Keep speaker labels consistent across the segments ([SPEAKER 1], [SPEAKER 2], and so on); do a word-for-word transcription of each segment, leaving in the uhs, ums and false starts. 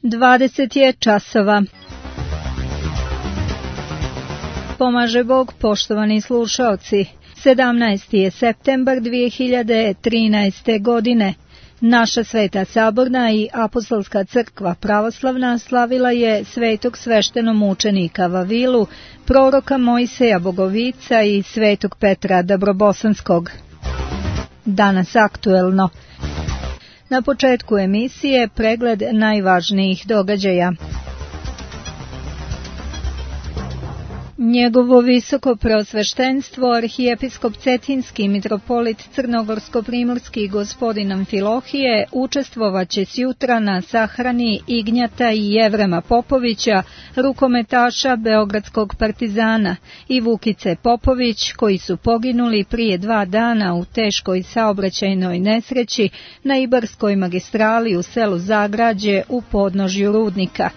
[SPEAKER 1] dvadeset je časova. Pomaže Bog, poštovani slušaoci. sedamnaesti je septembar dvije hiljade trinaeste. godine. Naša Sveta Saborna i Apostolska crkva pravoslavna slavila je svetog sveštenomučenika Vavilu, proroka Mojseja Bogovica i svetog Petra Dabrobosanskog. Danas aktuelno. Na početku emisije pregled najvažnijih događaja. Njegovo visoko preosveštenstvo, arhijepiskop Cetinski mitropolit Crnogorsko-primorski gospodin Amfilohije učestvovaće sjutra na sahrani Ignjata i Jevrema Popovića, rukometaša Beogradskog Partizana, i Vukice Popović, koji su poginuli prije dva dana u teškoj saobraćajnoj nesreći na Ibarskoj magistrali u selu Zagrađe u podnožju Rudnika.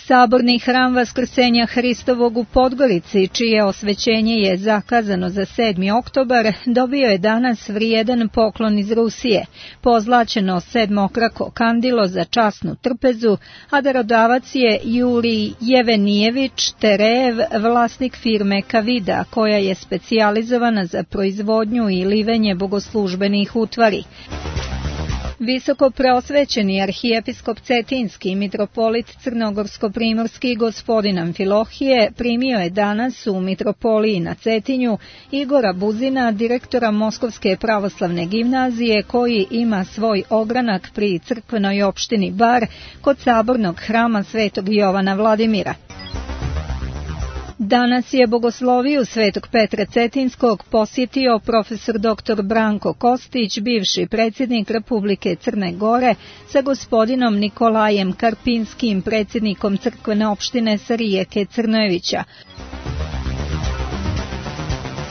[SPEAKER 1] Saborni hram Vaskrsenja Hristovog u Podgorici, čije osvećenje je zakazano za sedmi oktobar, dobio je danas vrijedan poklon iz Rusije, pozlaćeno sedmokrako kandilo za časnu trpezu, a darodavac je Jurij Jevenijević Terejev, vlasnik firme Kavida, koja je specijalizovana za proizvodnju i livenje bogoslužbenih utvari. Visoko preosvećeni arhijepiskop Cetinski mitropolit Crnogorsko-primorski gospodin Amfilohije primio je danas u mitropoliji na Cetinju Igora Buzina, direktora Moskovske pravoslavne gimnazije, koji ima svoj ogranak pri crkvenoj opštini Bar kod sabornog hrama Svetog Jovana Vladimira. Danas je bogosloviju Svetog Petra Cetinskog posjetio profesor doktor Branko Kostić, bivši predsjednik Republike Crne Gore, sa gospodinom Nikolajem Karpinskim, predsjednikom crkvene opštine sa rijeke Crnojevića.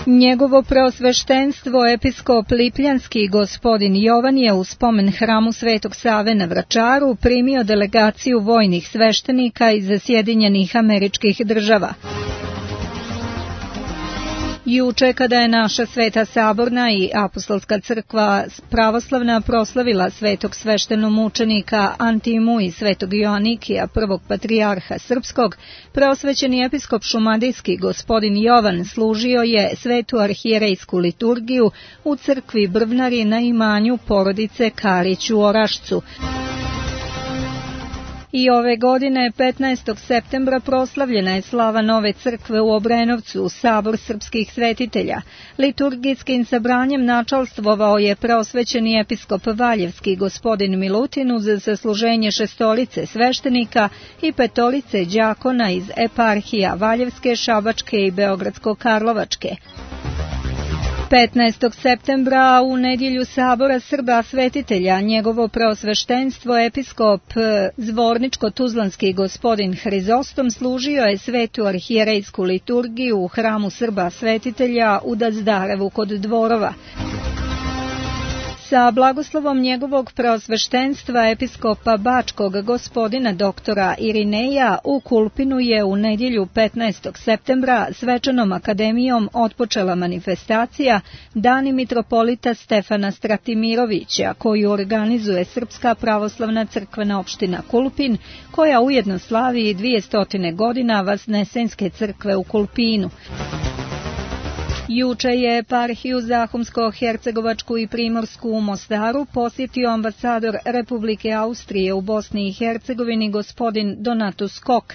[SPEAKER 1] Njegovo preosveštenstvo episkop Lipljanski gospodin Jovan je u spomen hramu Svetog Save na Vračaru primio delegaciju vojnih sveštenika iz Sjedinjenih Američkih Država. Juče, kada je naša Sveta Saborna i Apostolska crkva pravoslavna proslavila svetog sveštenomučenika Antimu i svetog Joanikija, prvog patrijarha srpskog, preosvećeni episkop šumadijski gospodin Jovan služio je svetu arhijerejsku liturgiju u crkvi Brvnari na imanju porodice Karić u Orašcu. I ove godine, petnaestog septembra, proslavljena je slava nove crkve u Obrenovcu, sabor srpskih svetitelja. Liturgijskim sabranjem načalstvovao je preosvećeni episkop Valjevski gospodin Milutin uz zasluženje šestorice sveštenika i petolice đakona iz eparhija Valjevske, Šabačke i Beogradsko-Karlovačke. petnaestog septembra u nedjelju sabora Srba svetitelja njegovo preosveštenstvo episkop Zvorničko-Tuzlanski gospodin Hrizostom služio je svetu arhijerejsku liturgiju u hramu Srba svetitelja u Dazdarevu kod Dvorova. Sa blagoslovom njegovog preosveštenstva episkopa Bačkog gospodina doktora Irineja u Kulpinu je u nedjelju petnaestog septembra svečanom akademijom otpočela manifestacija Dani mitropolita Stefana Stratimirovića, koju organizuje Srpska pravoslavna crkvena opština Kulpin, koja ujedno slavi dvjesto godina Vasnesenske crkve u Kulpinu. Juče je eparhiju Zahumsko-Hercegovačku i Primorsku u Mostaru posjetio ambasador Republike Austrije u Bosni i Hercegovini gospodin Donatus Kok.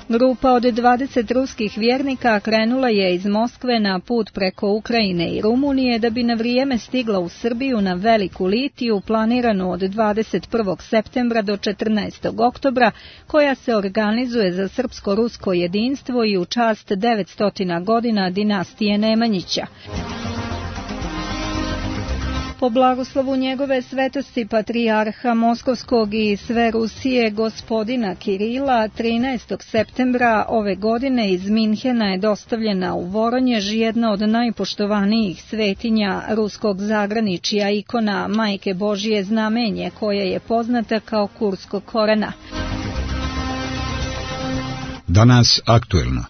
[SPEAKER 1] Grupa od dvadeset ruskih vjernika krenula je iz Moskve na put preko Ukrajine i Rumunije da bi na vrijeme stigla u Srbiju na Veliku litiju planiranu od dvadeset prvog septembra do četrnaestog oktobra, koja se organizuje za srpsko-rusko jedinstvo i u čast devetsto godina dinastije Nemanjića. Po blagoslovu njegove svetosti patrijarha Moskovskog i sve Rusije gospodina Kirila, trinaestog septembra ove godine iz Minhena je dostavljena u Voronjež jedna od najpoštovanijih svetinja ruskog zagraničja, ikona Majke Božije znamenje, koja je poznata kao kurskog korena.
[SPEAKER 2] Danas aktuelno.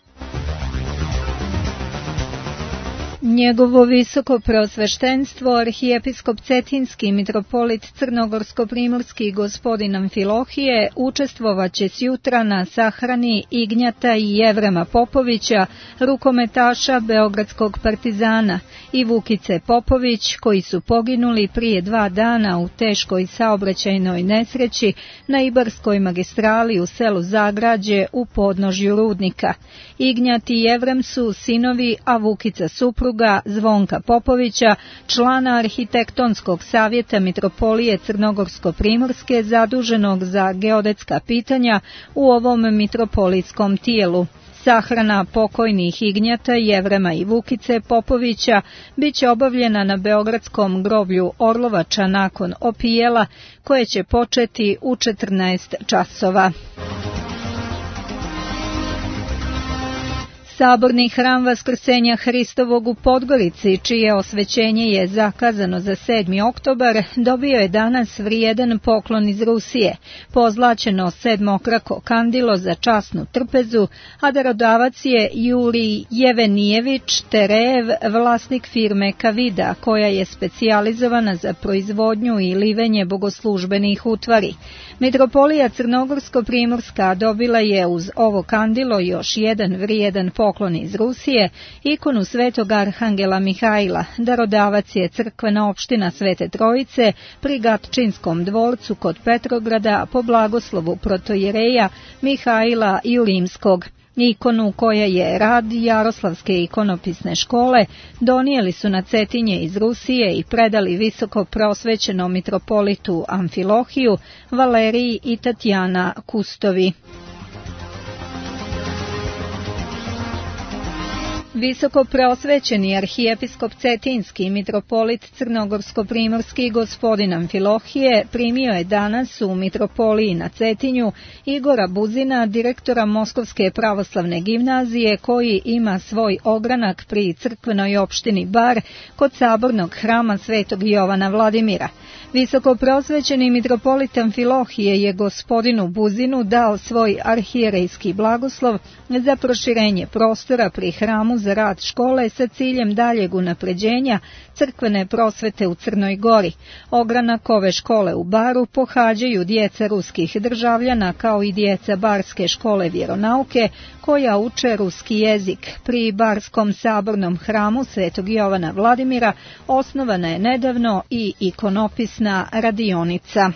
[SPEAKER 1] Njegovo visoko preosveštenstvo, arhijepiskop Cetinski mitropolit Crnogorsko-primorski gospodin Amfilohije učestvovaće sjutra na sahrani Ignjata i Jevrema Popovića, rukometaša Beogradskog Partizana, i Vukice Popović, koji su poginuli prije dva dana u teškoj saobraćajnoj nesreći na Ibarskoj magistrali u selu Zagrađe u podnožju Rudnika. Ignjat i Jevrem su sinovi, a Vukica supruga Zvonka Popovića, člana Arhitektonskog savjeta mitropolije Crnogorsko-primorske zaduženog za geodetska pitanja u ovom mitropolitskom tijelu. Sahrana pokojnih Ignjata, Jevrema i Vukice Popovića biće obavljena na beogradskom groblju Orlovača nakon opijela, koje će početi u četrnaest časova. Saborni hram Vaskrsenja Hristovog u Podgorici, čije osvećenje je zakazano za sedmi oktobar, dobio je danas vrijedan poklon iz Rusije, pozlaćeno sedmokrako kandilo za časnu trpezu, a darodavac je Jurij Jevenijević Terejev, vlasnik firme Kavida, koja je specijalizovana za proizvodnju i livenje bogoslužbenih utvari. Mitropolija Crnogorsko-primorska dobila je uz ovo kandilo još jedan vrijedan poklon iz Rusije, ikonu svetog arhangela Mihajla. Darodavac je crkvena opština Svete Trojice pri Gatčinskom dvorcu kod Petrograda po blagoslovu protojereja Mihajla Julimskog. Ikonu, koja je rad Jaroslavske ikonopisne škole, donijeli su na Cetinje iz Rusije i predali visoko prosvećenom mitropolitu Amfilohiju, Valeriji i Tatjana Kustovi. Visoko preosvećeni arhijepiskop Cetinski mitropolit Crnogorsko-primorski gospodin Amfilohije primio je danas u mitropoliji na Cetinju Igora Buzina, direktora Moskovske pravoslavne gimnazije, koji ima svoj ogranak pri crkvenoj opštini Bar kod sabornog hrama Svetog Jovana Vladimira. Visoko preosvećeni mitropolit Amfilohije je gospodinu Buzinu dao svoj arhijerejski blagoslov za proširenje prostora pri hramu za rad škole sa ciljem daljeg unapređenja crkvene prosvete u Crnoj Gori. Ogranak ove škole u Baru pohađaju djeca ruskih državljana kao i djeca Barske škole vjeronauke koja uče ruski jezik. Pri Barskom sabornom hramu Svetog Jovana Vladimira osnovana je nedavno i ikonopisna radionica.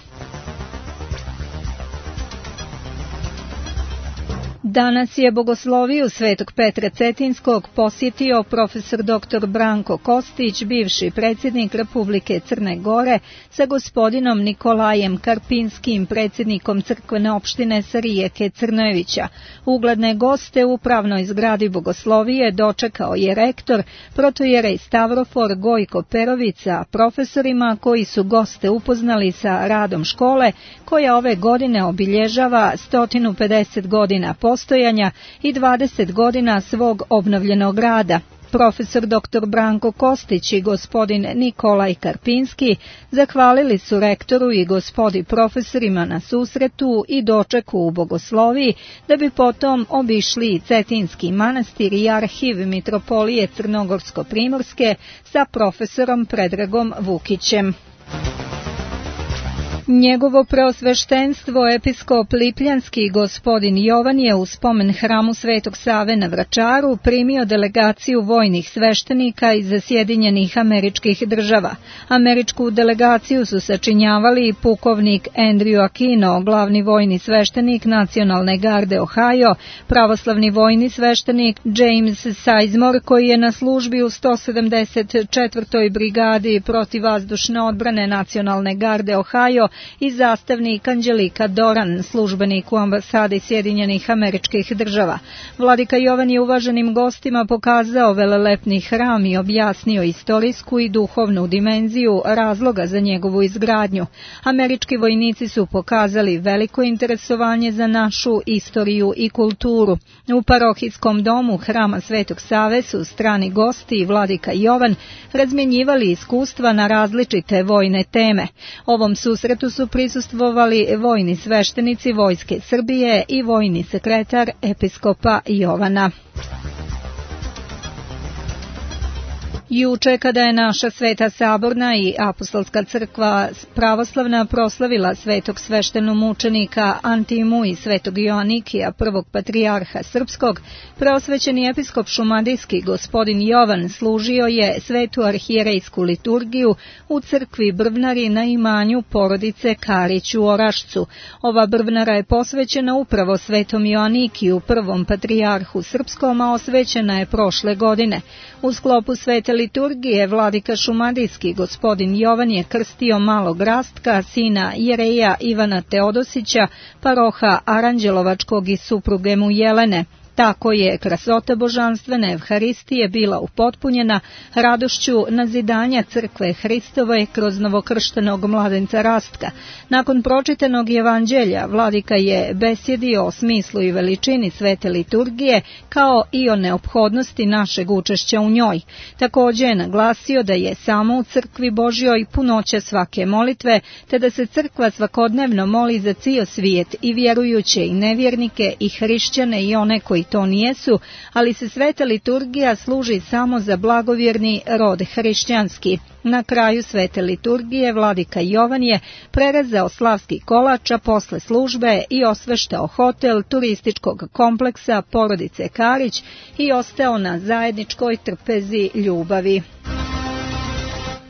[SPEAKER 1] Danas je bogosloviju Svetog Petra Cetinskog posjetio profesor doktor Branko Kostić, bivši predsjednik Republike Crne Gore, sa gospodinom Nikolajem Karpinskim, predsjednikom crkvene opštine sa rijeke Crnojevića. Ugledne goste u upravnoj zgradi bogoslovije dočekao je rektor, protojerej Stavrofor Gojko Perovica, profesorima koji su goste upoznali sa radom škole, koja ove godine obilježava sto pedeset godina postojanja i dvadeset godina svog obnovljenog rada. Profesor doktor Branko Kostić i gospodin Nikolaj Karpinski zahvalili su rektoru i gospodi profesorima na susretu i dočeku u bogosloviji, da bi potom obišli i Cetinski manastir i arhiv mitropolije Crnogorsko-primorske sa profesorom Predragom Vukićem. Njegovo preosveštenstvo episkop Lipljanski gospodin Jovan je u spomen hramu Svetog Save na Vračaru primio delegaciju vojnih sveštenika iz Sjedinjenih Američkih Država. Američku delegaciju su sačinjavali pukovnik Andrew Aquino, glavni vojni sveštenik Nacionalne garde Ohio, pravoslavni vojni sveštenik James Sizemore, koji je na službi u sto sedamdeset četvrtoj brigadi protivvazdušne odbrane Nacionalne garde Ohio, i zastavnik Anđelika Doran, službenik u ambasadi Sjedinjenih Američkih Država. Vladika Jovan je uvaženim gostima pokazao velelepni hram i objasnio istorijsku i duhovnu dimenziju razloga za njegovu izgradnju. Američki vojnici su pokazali veliko interesovanje za našu istoriju i kulturu. U parohijskom domu hrama Svetog Save su strani gosti i vladika Jovan razmjenjivali iskustva na različite vojne teme. Ovom susretu su prisustvovali vojni sveštenici Vojske Srbije i vojni sekretar episkopa Jovana. Juče, kada je naša Sveta Saborna i Apostolska crkva pravoslavna proslavila svetog sveštenomučenika Antimu i svetog Joanikija, prvog patrijarha srpskog, preosvećeni episkop šumadijski gospodin Jovan služio je svetu arhijerejsku liturgiju u crkvi Brvnari na imanju porodice Karić u Orašcu. Ova Brvnara je posvećena upravo svetom Joanikiju, prvom patrijarhu srpskom, a osvećena je prošle godine. U sklopu svete liturgije vladika šumadijski gospodin Jovan je krstio malog Rastka, sina Jereja Ivana Teodosića, paroha Aranđelovačkog i supruge mu Jelene. Tako je krasota božanstvene Evharistije bila upotpunjena radošću nazidanja crkve Hristove kroz novokrštenog mladenca Rastka. Nakon pročitanog evanđelja, vladika je besjedio o smislu i veličini svete liturgije, kao i o neophodnosti našeg učešća u njoj. Također je naglasio da je samo u crkvi Božjoj punoća svake molitve, te da se crkva svakodnevno moli za cijel svijet, i vjerujuće i nevjernike, i hrišćane i one koji to nijesu, ali se sveta liturgija služi samo za blagovjerni rod hrišćanski. Na kraju svete liturgije vladika Jovan je prerezao slavski kolač, a posle službe i osveštao hotel turističkog kompleksa porodice Karić i ostao na zajedničkoj trpezi ljubavi.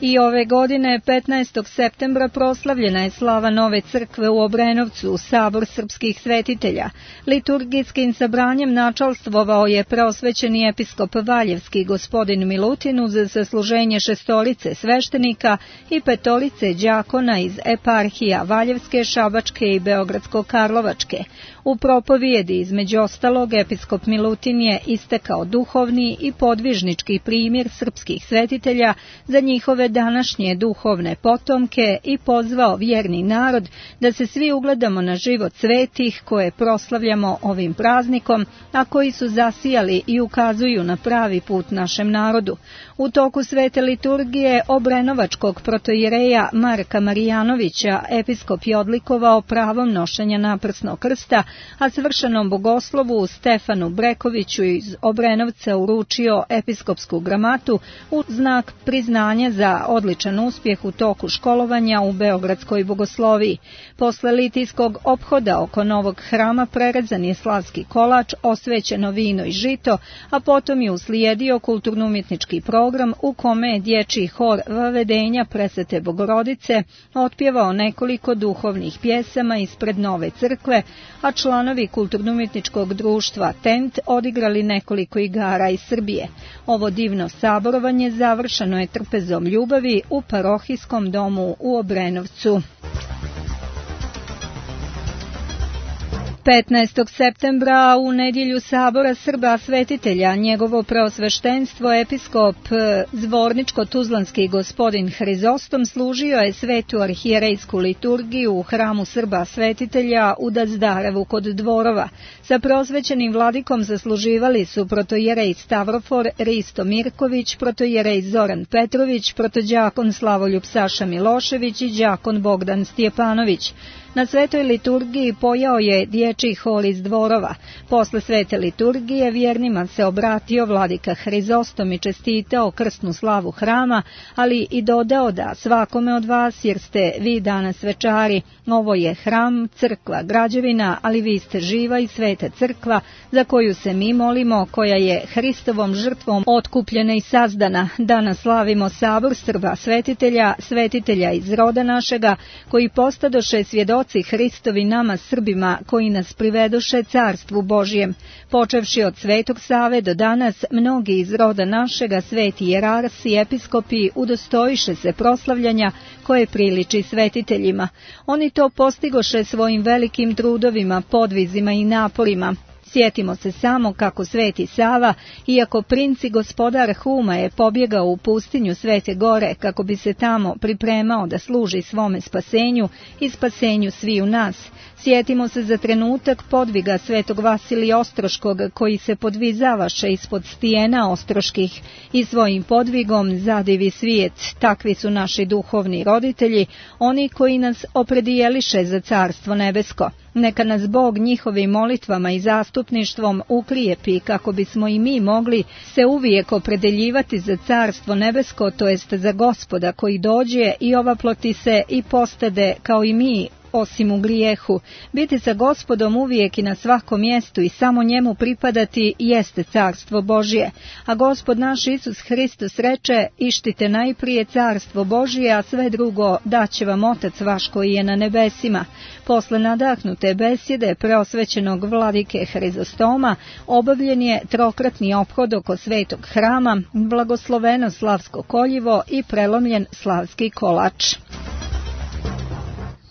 [SPEAKER 1] I ove godine, petnaestog septembra, proslavljena je slava nove crkve u Obrenovcu, sabor srpskih svetitelja. Liturgijskim sabranjem načalstvovao je preosvećeni episkop Valjevski gospodin Milutin uz sasluženje šestorice sveštenika i petolice đakona iz eparhija Valjevske, Šabačke i Beogradsko-Karlovačke. U propovijedi, između ostalog, episkop Milutin je istekao duhovni i podvižnički primjer srpskih svetitelja za njihove današnje duhovne potomke i pozvao vjerni narod da se svi ugledamo na život svetih koje proslavljamo ovim praznikom, a koji su zasijali i ukazuju na pravi put našem narodu. U toku svete liturgije obrenovačkog protoijereja Marka Marijanovića episkop je odlikovao pravom nošenja naprsnog krsta, a svršenom bogoslovu Stefanu Brekoviću iz Obrenovca uručio episkopsku gramatu u znak priznanja za odličan uspjeh u toku školovanja u Beogradskoj bogosloviji. Posle litijskog ophoda oko novog hrama prerezan je slavski kolač, osvećeno vino i žito, a potom je uslijedio kulturno-umjetnički program u kome je dječji hor Vavedenja Presvete Bogorodice otpjevao nekoliko duhovnih pjesama ispred nove crkve, a članovi kulturno-umjetničkog društva Tent odigrali nekoliko igara iz Srbije. Ovo divno saborovanje završeno je trpezom ljubavi u parohijskom domu u Obrenovcu. petnaestog septembra u nedjelju sabora Srba svetitelja njegovo preosveštenstvo episkop Zvorničko-Tuzlanski gospodin Hrizostom služio je svetu arhijerejsku liturgiju u hramu Srba svetitelja u Dazdarevu kod Dvorova. Sa preosvećenim vladikom zasluživali su protojerej Stavrofor Risto Mirković, protojerej Zoran Petrović, protođakon Slavoljub Saša Milošević i đakon Bogdan Stjepanović. Na svetoj liturgiji pojao je dječji hor iz Dvorova. Posle svete liturgije vjernima se obratio vladika Hrizostom i čestitao krsnu slavu hrama, ali i dodao da svakome od vas, jer ste vi danas večari, ovo je hram, crkva, građevina, ali vi ste živa i sveta crkva za koju se mi molimo, koja je Hristovom žrtvom otkupljena i sazdana. Danas slavimo sabor Srba svetitelja, svetitelja iz roda našega, koji postadoše svjedoci Hristovi nama Srbima, koji nas privedoše carstvu Božjem. Počevši od Svetog Save do danas, mnogi iz roda našega, sveti jerarsi, episkopi, udostojiše se proslavljanja koje priliči svetiteljima. Oni to postigoše svojim velikim trudovima, podvizima i naporima. Sjetimo se samo kako Sveti Sava, iako princ i gospodar Huma, je pobjegao u pustinju Svete Gore kako bi se tamo pripremao da služi svome spasenju i spasenju sviju nas. Sjetimo se za trenutak podviga svetog Vasilija Ostroškog, koji se podvizavaše ispod stijena ostroških i svojim podvigom zadivi svijet. Takvi su naši duhovni roditelji, oni koji nas opredijeliše za Carstvo nebesko. Neka nas Bog njihovim molitvama i zastupništvom uklijepi kako bismo i mi mogli se uvijek opredeljivati za Carstvo nebesko, to jest za Gospoda koji dođe i ovaploti se i postade kao i mi, osim u grijehu. Biti sa Gospodom uvijek i na svakom mjestu i samo njemu pripadati jeste Carstvo Božje. A Gospod naš Isus Hristos reče: ištite najprije Carstvo Božje, a sve drugo daće vam Otac vaš koji je na nebesima. Posle nadahnute besjede preosvećenog vladike Hrizostoma obavljen je trokratni ophod oko svetog hrama, blagosloveno slavsko koljivo i prelomljen slavski kolač.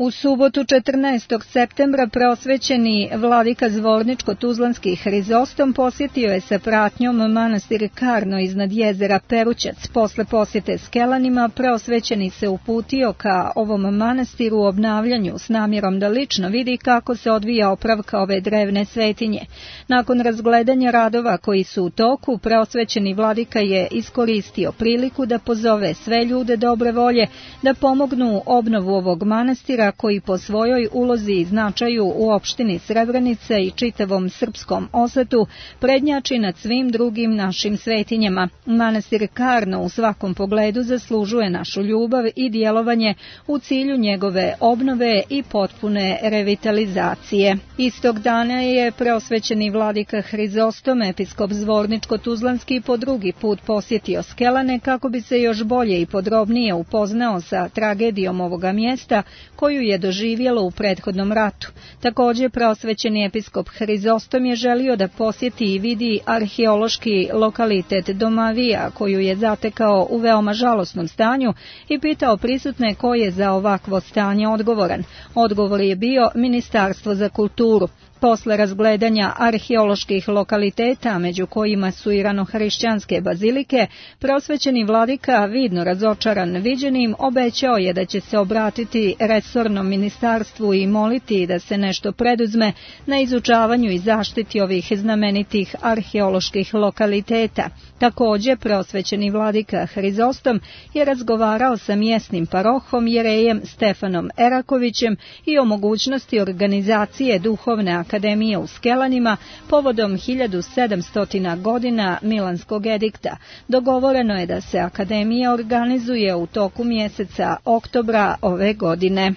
[SPEAKER 1] U subotu četrnaestog septembra preosvećeni vladika Zvorničko-Tuzlanski Hrizostom posjetio je sa pratnjom manastir Karno iznad jezera Perućac. Posle posjete Skelanima preosvećeni se uputio ka ovom manastiru u obnavljanju s namjerom da lično vidi kako se odvija opravka ove drevne svetinje. Nakon razgledanja radova koji su u toku, preosvećeni vladika je iskoristio priliku da pozove sve ljude dobre volje da pomognu obnovu ovog manastira koji po svojoj ulozi i značaju u opštini Srebrenica i čitavom srpskom osetu prednjači nad svim drugim našim svetinjama. Manastir Karno u svakom pogledu zaslužuje našu ljubav i djelovanje u cilju njegove obnove i potpune revitalizacije. Istog dana je preosvećeni vladika Hrizostom, episkop Zvorničko-Tuzlanski, po drugi put posjetio Skelane kako bi se još bolje i podrobnije upoznao sa tragedijom ovoga mjesta koju je doživjelo u prethodnom ratu. Također preosvećeni episkop Hrizostom je želio da posjeti i vidi arheološki lokalitet Domavija, koju je zatekao u veoma žalosnom stanju, i pitao prisutne ko je za ovakvo stanje odgovoran. Odgovor je bio Ministarstvo za kulturu. Posle razgledanja arheoloških lokaliteta, među kojima su i ranohrišćanske bazilike, preosvećeni vladika, vidno razočaran viđenim, obećao je da će se obratiti resornom ministarstvu i moliti da se nešto preduzme na izučavanju i zaštiti ovih znamenitih arheoloških lokaliteta. Također, preosvećeni vladika Hrizostom je razgovarao sa mjesnim parohom jerejem Stefanom Erakovićem i o mogućnosti organizacije duhovne akademije u Skelanima povodom hiljadu sedamsto godina Milanskog edikta. Dogovoreno je da se akademija organizuje u toku mjeseca oktobra ove godine.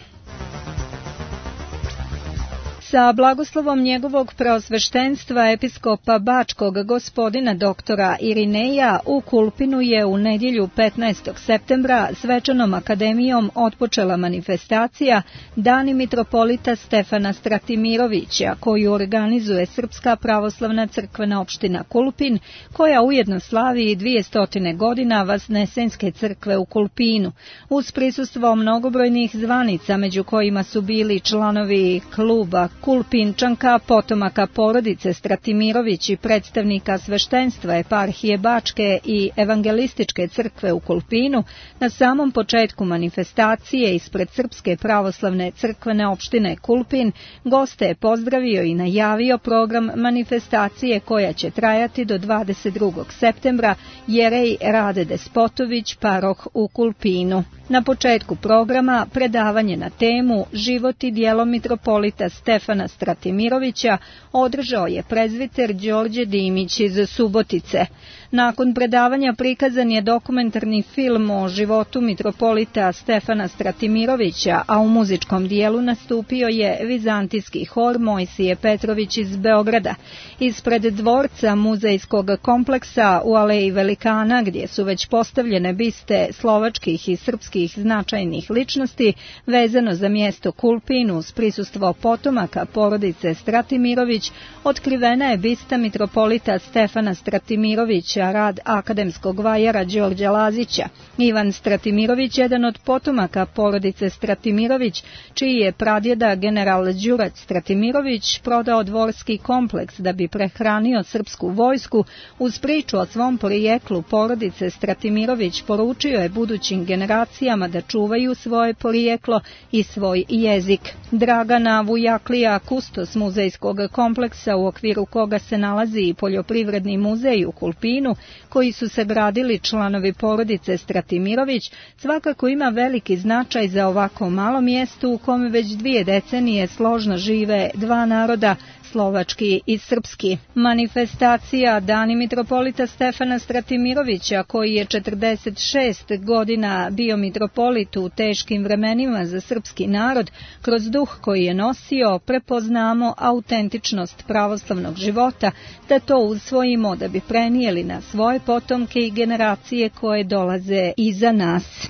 [SPEAKER 1] Sa blagoslovom njegovog preosveštenstva episkopa Bačkog gospodina doktora Irineja u Kulpinu je u nedjelju petnaestog septembra svečanom akademijom otpočela manifestacija Dani mitropolita Stefana Stratimirovića, koju organizuje Srpska pravoslavna crkvena opština Kulpin, koja ujedno slavi i dvjesto godina Vasnesenske crkve u Kulpinu. Uz prisustvo mnogobrojnih zvanica, među kojima su bili članovi kluba Kulpinčanka, potomaka porodice Stratimirović i predstavnika sveštenstva eparhije Bačke i evangelističke crkve u Kulpinu, na samom početku manifestacije ispred Srpske pravoslavne crkvene opštine Kulpin goste je pozdravio i najavio program manifestacije koja će trajati do dvadeset drugog septembra, jerej Rade Despotović, paroh u Kulpinu. Na početku programa predavanje na temu Život i djelo mitropolita Stefana Stratimirovića održao je prezviter Đorđe Dimić iz Subotice. Nakon predavanja prikazan je dokumentarni film o životu mitropolita Stefana Stratimirovića, a u muzičkom dijelu nastupio je vizantijski hor Mojsije Petrović iz Beograda. Ispred dvorca muzejskog kompleksa u Aleji Velikana, gdje su već postavljene biste slovačkih i srpskih značajnih ličnosti, vezano za mjesto Kulpin uz prisustvo potomaka porodice Stratimirović, otkrivena je bista mitropolita Stefana Stratimirovića ističa rad akademskog vajara Đorđa Lazića. Ivan Stratimirović, jedan od potomaka porodice Stratimirović, čiji je pradjeda general Đurac Stratimirović prodao dvorski kompleks da bi prehranio srpsku vojsku, uz priču o svom porijeklu porodice Stratimirović poručio je budućim generacijama da čuvaju svoje porijeklo i svoj jezik. Dragana Vujaklija, kustos muzejskog kompleksa u okviru koga se nalazi i poljoprivredni muzej u Kulpinu, koji su sagradili članovi porodice Stratimirović, svakako ima veliki značaj za ovako malo mjesto u kome već dvije decenije složno žive dva naroda, slovački i srpski. Manifestacija Dani mitropolita Stefana Stratimirovića, koji je četrdeset šest godina bio mitropolit u teškim vremenima za srpski narod, kroz duh koji je nosio prepoznamo autentičnost pravoslavnog života, da to usvojimo da bi prenijeli na svoje potomke i generacije koje dolaze iza nas.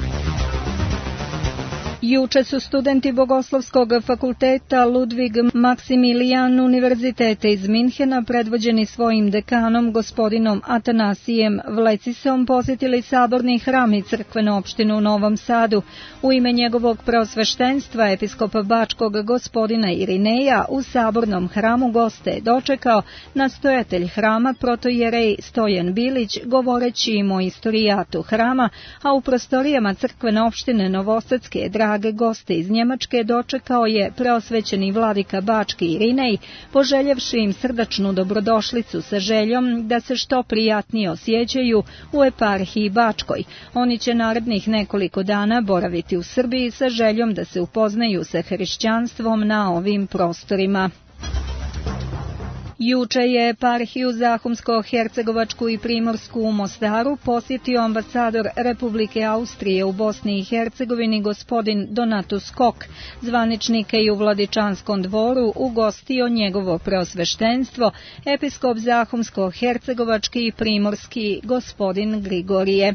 [SPEAKER 1] Juče su studenti Bogoslovskog fakulteta Ludvig Maksimilijan univerziteta iz Minhena, predvođeni svojim dekanom gospodinom Atanasijem Vlecisom, posjetili saborni hram i crkvenu opštinu u Novom Sadu. U ime njegovog preosveštenstva episkopa Bačkog gospodina Irineja u sabornom hramu goste je dočekao nastojatelj hrama protojerej Stojan Bilić, govoreći im o istorijatu hrama, a u prostorijama crkvene opštine Novosadske drage goste iz Njemačke dočekao je preosvećeni vladika Bački Irinej, poželjevši im srdačnu dobrodošlicu sa željom da se što prijatnije osjećaju u eparhiji Bačkoj. Oni će narednih nekoliko dana boraviti u Srbiji sa željom da se upoznaju sa hrišćanstvom na ovim prostorima. Juče je eparhiju Zahumsko-Hercegovačku i Primorsku u Mostaru posjetio ambasador Republike Austrije u Bosni i Hercegovini gospodin Donatus Kok. Zvaničnike i u Vladičanskom dvoru ugostio njegovo preosveštenstvo, episkop Zahumsko-Hercegovački i Primorski gospodin Grigorije.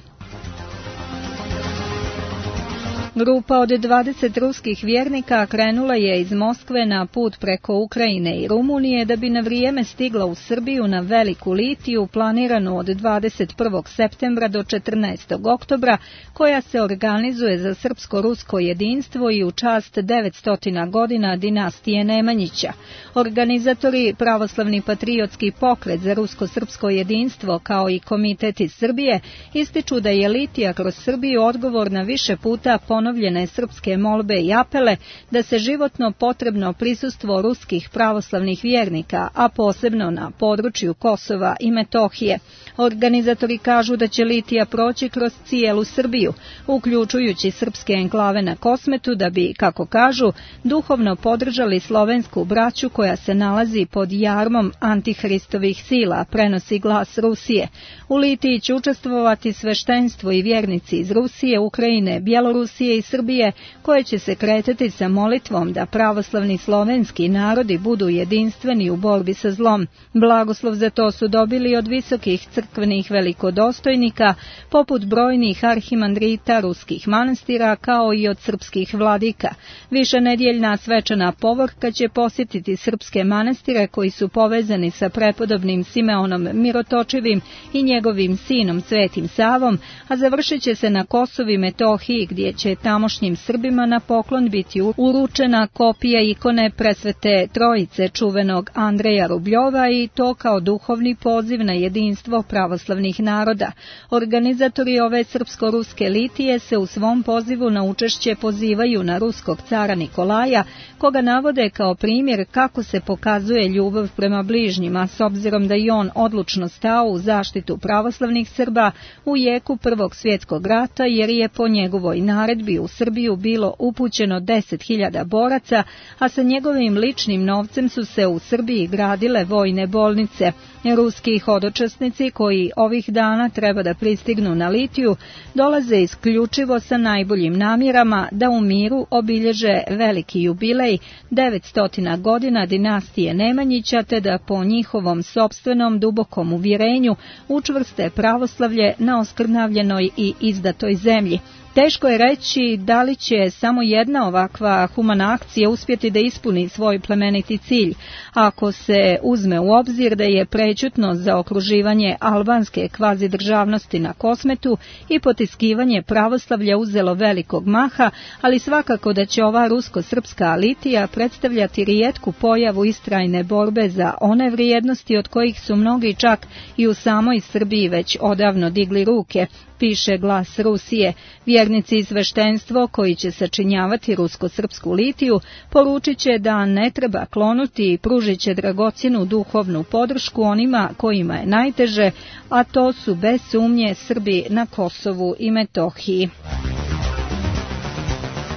[SPEAKER 1] Grupa od dvadeset ruskih vjernika krenula je iz Moskve na put preko Ukrajine i Rumunije da bi na vrijeme stigla u Srbiju na Veliku litiju planiranu od dvadeset prvog septembra do četrnaestog oktobra, koja se organizuje za srpsko-rusko jedinstvo i u čast devetsto godina dinastije Nemanjića. Organizatori Pravoslavni patriotski pokret za rusko-srpsko jedinstvo kao i Komitet iz Srbije ističu da je litija kroz Srbiju odgovor na više puta ponovljene srpske molbe i apele da se životno potrebno prisustvo ruskih pravoslavnih vjernika, a posebno na području Kosova i Metohije. Organizatori kažu da će litija proći kroz cijelu Srbiju, uključujući srpske enklave na Kosmetu, da bi, kako kažu, duhovno podržali slovensku braću koja se nalazi pod jarmom antihristovih sila, prenosi Glas Rusije. U litiji će učestvovati sveštenstvo i vjernici iz Rusije, Ukrajine, Bjelorusije i Srbije, koje će se kretati sa molitvom da pravoslavni slovenski narodi budu jedinstveni u borbi sa zlom. Blagoslov za to su dobili od visokih crkvenih velikodostojnika, poput brojnih arhimandrita ruskih manastira, kao i od srpskih vladika. Višenedjeljna svečana povorka će posjetiti srpske manastire koji su povezani sa prepodobnim Simeonom Mirotočivim i njegovim sinom Svetim Savom, a završit će se na Kosovu i Metohiji, gdje će tamošnjim Srbima na poklon biti uručena kopija ikone presvete trojice čuvenog Andreja Rubljova, i to kao duhovni poziv na jedinstvo pravoslavnih naroda. Organizatori ove srpsko-ruske litije se u svom pozivu na učešće pozivaju na ruskog cara Nikolaja, koga navode kao primjer kako se pokazuje ljubav prema bližnjima, s obzirom da i on odlučno stao u zaštitu pravoslavnih Srba u jeku Prvog svjetskog rata, jer je po njegovoj naredbi u Srbiju bilo upućeno deset hiljada boraca, a sa njegovim ličnim novcem su se u Srbiji gradile vojne bolnice. Ruski hodočasnici koji ovih dana treba da pristignu na litiju dolaze isključivo sa najboljim namjerama da u miru obilježe veliki jubilej devetsto godina dinastije Nemanjića, te da po njihovom sopstvenom dubokom uvjerenju učvrste pravoslavlje na oskrnavljenoj i izdatoj zemlji. Teško je reći da li će samo jedna ovakva humana akcija uspjeti da ispuni svoj plemeniti cilj, ako se uzme u obzir da je prećutno za okruživanje albanske kvazi državnosti na Kosmetu i potiskivanje pravoslavlja uzelo velikog maha, ali svakako da će ova rusko-srpska litija predstavljati rijetku pojavu istrajne borbe za one vrijednosti od kojih su mnogi čak i u samoj Srbiji već odavno digli ruke, piše Glas Rusije. Vjernici i sveštenstvo koji će sačinjavati rusko-srpsku litiju poručit će da ne treba klonuti i pružit će dragocjenu duhovnu podršku onima kojima je najteže, a to su bez sumnje Srbi na Kosovu i Metohiji.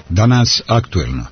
[SPEAKER 2] Danas aktuelno.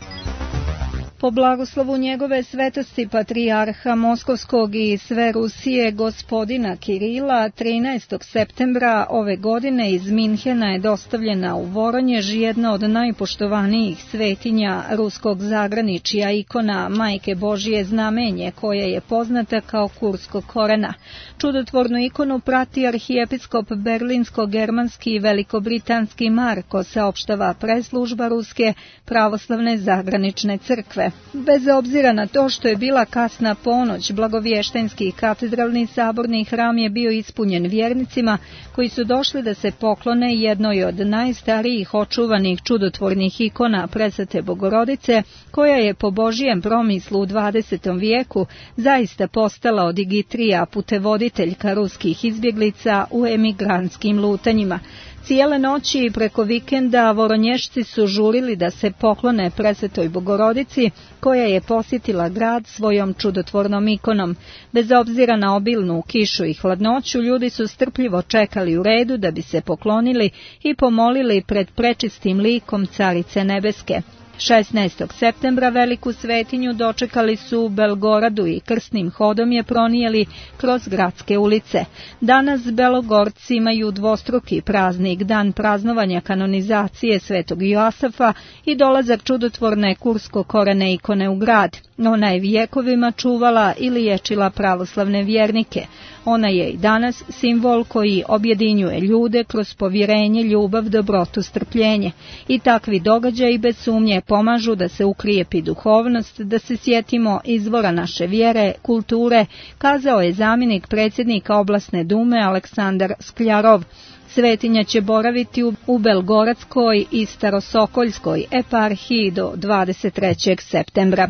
[SPEAKER 1] Po blagoslovu njegove svetosti patrijarha Moskovskog i sve Rusije gospodina Kirila, trinaestog septembra ove godine iz Minhena je dostavljena u Voronjež jedna od najpoštovanijih svetinja ruskog zagraničja, ikona Majke Božije Znamenje, koja je poznata kao Kurskog korena. Čudotvornu ikonu prati arhijepiskop berlinsko-germanski i velikobritanski Marko, saopštava preslužba Ruske pravoslavne zagranične crkve. Bez obzira na to što je bila kasna ponoć, blagovještajnski katedralni saborni hram je bio ispunjen vjernicima koji su došli da se poklone jednoj od najstarijih očuvanih čudotvornih ikona Presvete Bogorodice, koja je po Božijem promislu u dvadesetom vijeku zaista postala odigitrija, putevoditeljka ruskih izbjeglica u emigrantskim lutanjima. Cijele noći i preko vikenda Voronješci su žurili da se poklone Presvetoj Bogorodici, koja je posjetila grad svojom čudotvornom ikonom. Bez obzira na obilnu kišu i hladnoću, ljudi su strpljivo čekali u redu da bi se poklonili i pomolili pred prečistim likom Carice Nebeske. šesnaestog septembra veliku svetinju dočekali su u Belgoradu i krsnim hodom je pronijeli kroz gradske ulice. Danas Belogorci imaju dvostruki praznik, dan praznovanja kanonizacije Svetog Joasafa i dolazak čudotvorne Kursko-korene ikone u grad. Ona je vjekovima čuvala i liječila pravoslavne vjernike. Ona je i danas simbol koji objedinjuje ljude kroz povjerenje, ljubav, dobrotu, strpljenje. I takvi događaji bez sumnje pomažu da se ukrijepi duhovnost, da se sjetimo izvora naše vjere, kulture, kazao je zamjenik predsjednika oblasne dume Aleksandar Skljarov. Svetinja će boraviti u Belgoradskoj i Starosokoljskoj eparhiji do dvadeset trećeg septembra.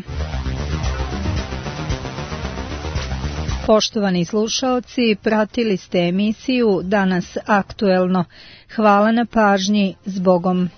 [SPEAKER 1] Poštovani slušaoci, pratili ste emisiju Danas aktuelno. Hvala na pažnji, s Bogom.